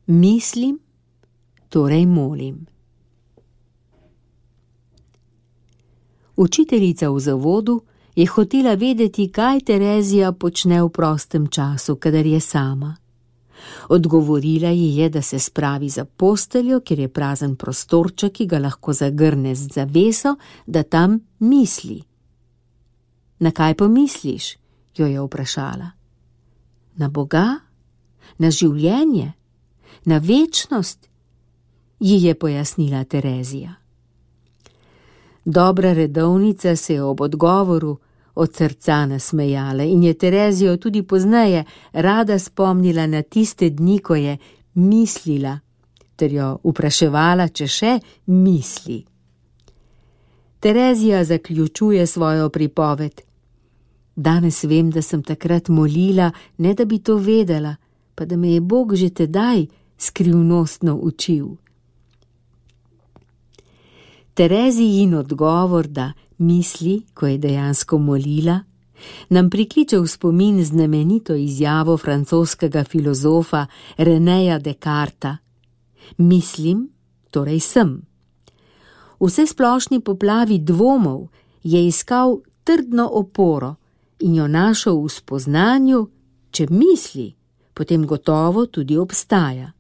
Mislim, torej molim. Učiteljica v zavodu je hotela vedeti, kaj Terezija počne v prostem času, kadar je sama. Odgovorila ji je, da se spravi za posteljo, kjer je prazen prostorček, ki ga lahko zagrne z zaveso, da tam misli. Na kaj pomisliš? Jo je vprašala. Na Boga? Na življenje? Na večnost? Ji je pojasnila Terezija. Dobra redovnica se je ob odgovoru od srca nasmejala in je Terezijo tudi pozneje rada spomnila na tiste dni, ko je mislila, ter jo vpraševala, če še misli. Terezija zaključuje svojo pripoved. Danes vem, da sem takrat molila, ne da bi to vedela, pa da me je Bog že tedaj skrivnostno učil. Terezijin odgovor, da misli, ko je dejansko molila, nam prikliče v spomin znamenito izjavo francoskega filozofa Renéja Descartesa. Mislim, torej sem. V vsesplošni poplavi dvomov je iskal trdno oporo in jo našel v spoznanju, če misli, potem gotovo tudi obstaja.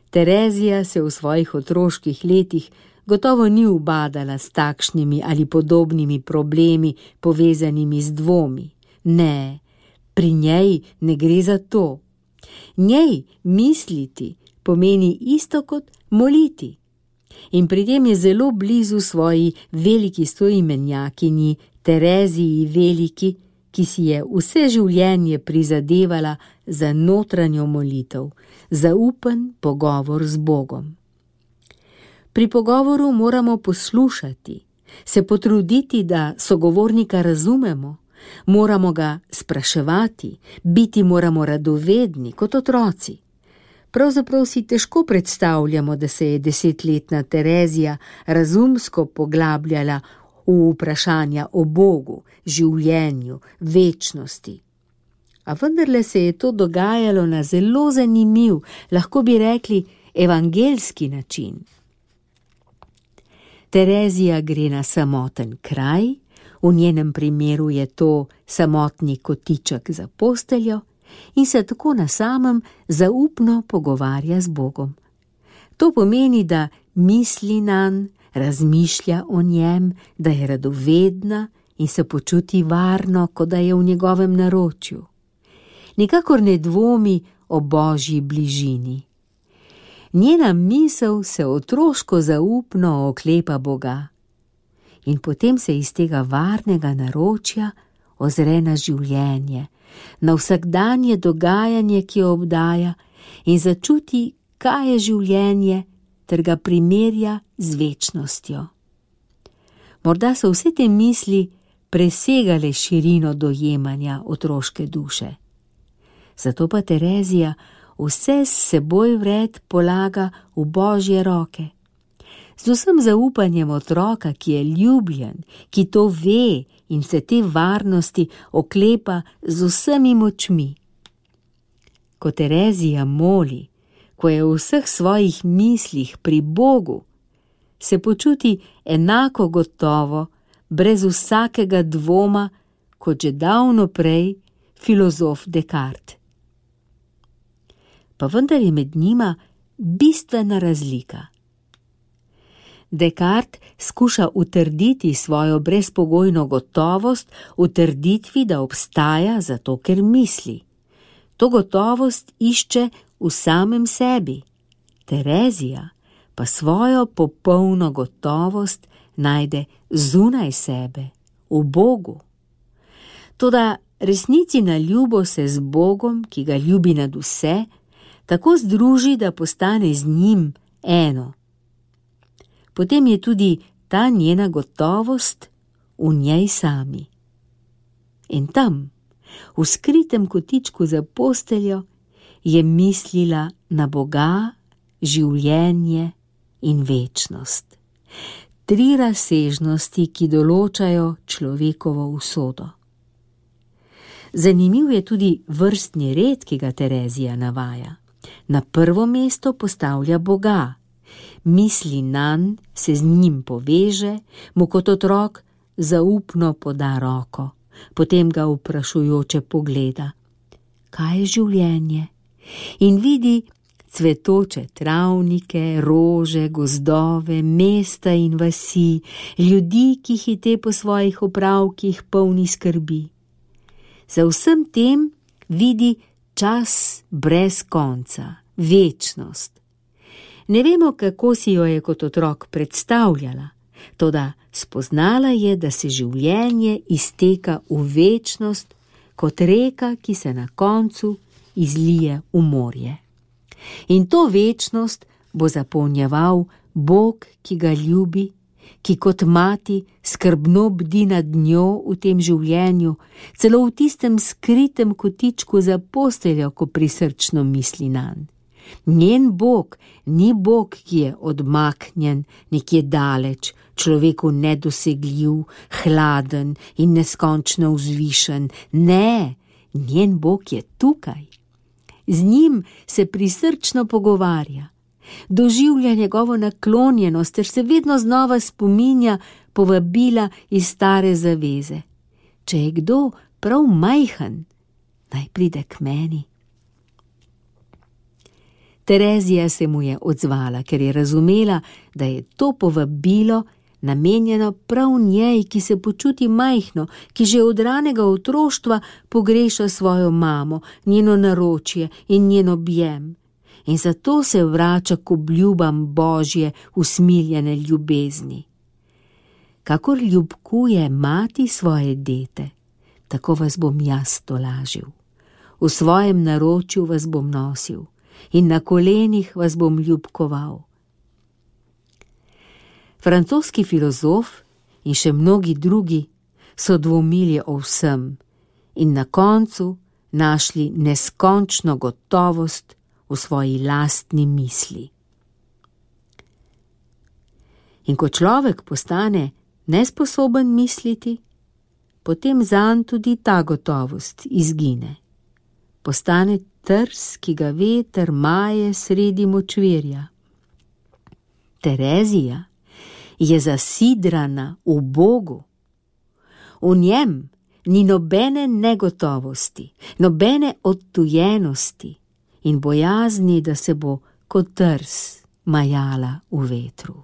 Terezija se v svojih otroških letih gotovo ni ubadala s takšnimi ali podobnimi problemi povezanimi z dvomi. Ne, pri njej ne gre za to. Njej misliti pomeni isto kot moliti. In pri tem je zelo blizu svoji veliki soimenjakinji Tereziji Veliki, ki si je vse življenje prizadevala za notranjo molitev, zaupen pogovor z Bogom. Pri pogovoru moramo poslušati, se potruditi, da sogovornika razumemo, moramo ga spraševati, biti moramo radovedni kot otroci. Pravzaprav si težko predstavljamo, da se je 10-letna Terezija razumsko poglabljala v vprašanja o Bogu, življenju, večnosti. A vendarle se je to dogajalo na zelo zanimiv, lahko bi rekli evangeljski način. Terezija gre na samoten kraj, v njenem primeru je to samotni kotiček za posteljo, in se tako na samem zaupno pogovarja z Bogom. To pomeni, da misli nanj, razmišlja o njem, da je radovedna in se počuti varno, kot da je v njegovem naročju. Nikakor ne dvomi o Božji bližini. Njena misel se otroško zaupno oklepa Boga in potem se iz tega varnega naročja ozre na življenje, na vsakdanje dogajanje, ki jo obdaja, in začuti, kaj je življenje, ter ga primerja z večnostjo. Morda so vse te misli presegale širino dojemanja otroške duše. Zato pa Terezija vse s seboj vred polaga v Božje roke. Z vsem zaupanjem otroka, ki je ljubljen, ki to ve in se te varnosti oklepa z vsemi močmi. Ko Terezija moli, ko je v vseh svojih mislih pri Bogu, se počuti enako gotovo, brez vsakega dvoma, kot že davno prej filozof Descartes. Pa vendar je med njima bistvena razlika. Descartes skuša utrditi svojo brezpogojno gotovost v trditvi, da obstaja zato, ker misli. To gotovost išče v samem sebi. Terezija pa svojo popolno gotovost najde zunaj sebe, v Bogu. Toda resnici na ljubo se z Bogom, ki ga ljubi nad vse, tako združi, da postane z njim eno. Potem je tudi ta njena gotovost v njej sami. In tam, v skritem kotičku za posteljo, je mislila na Boga, življenje in večnost. 3 razsežnosti, ki določajo človekovo usodo. Zanimiv je tudi vrstni red, ki ga Terezija navaja. Na prvo mesto postavlja Boga. Misli nanj, se z njim poveže, mu kot otrok zaupno poda roko, potem ga vprašujoče pogleda. Kaj je življenje? In vidi cvetoče travnike, rože, gozdove, mesta in vasi, ljudi, ki hite po svojih opravkih polni skrbi. Za vsem tem vidi čas brez konca, večnost. Ne vemo, kako si jo je kot otrok predstavljala, toda spoznala je, da se življenje izteka v večnost kot reka, ki se na koncu izlije v morje. In to večnost bo zapolnjeval Bog, ki ga ljubi, ki kot mati skrbno bdi nad njo v tem življenju, celo v tistem skritem kotičku za posteljo, ko prisrčno misli nanj. Njen Bog ni Bog, ki je odmaknjen, nekje daleč, človeku nedosegljiv, hladen in neskončno vzvišen. Ne, njen Bog je tukaj. Z njim se prisrčno pogovarja, doživlja njegovo naklonjenost ter se vedno znova spominja povabila iz stare zaveze. Če je kdo prav majhen, naj pride k meni. Terezija se mu je odzvala, ker je razumela, da je to povabilo namenjeno prav njej, ki se počuti majhno, ki že od ranega otroštva pogreša svojo mamo, njeno naročje in njen objem. In zato se vrača k obljubam Božje usmiljene ljubezni. Kakor ljubkuje mati svoje dete, tako vas bom jaz tolažil. V svojem naročju vas bom nosil in na kolenih vas bom ljubkoval. Francoski filozof in še mnogi drugi so dvomili o vsem in na koncu našli neskončno gotovost v svoji lastni misli. In ko človek postane nesposoben misliti, potem zanj tudi ta gotovost izgine. Postane trs, ki ga veter maje sredi močvirja. Terezija je zasidrana v Bogu. V njem ni nobene negotovosti, nobene odtujenosti in bojazni, da se bo kot trs majala v vetru.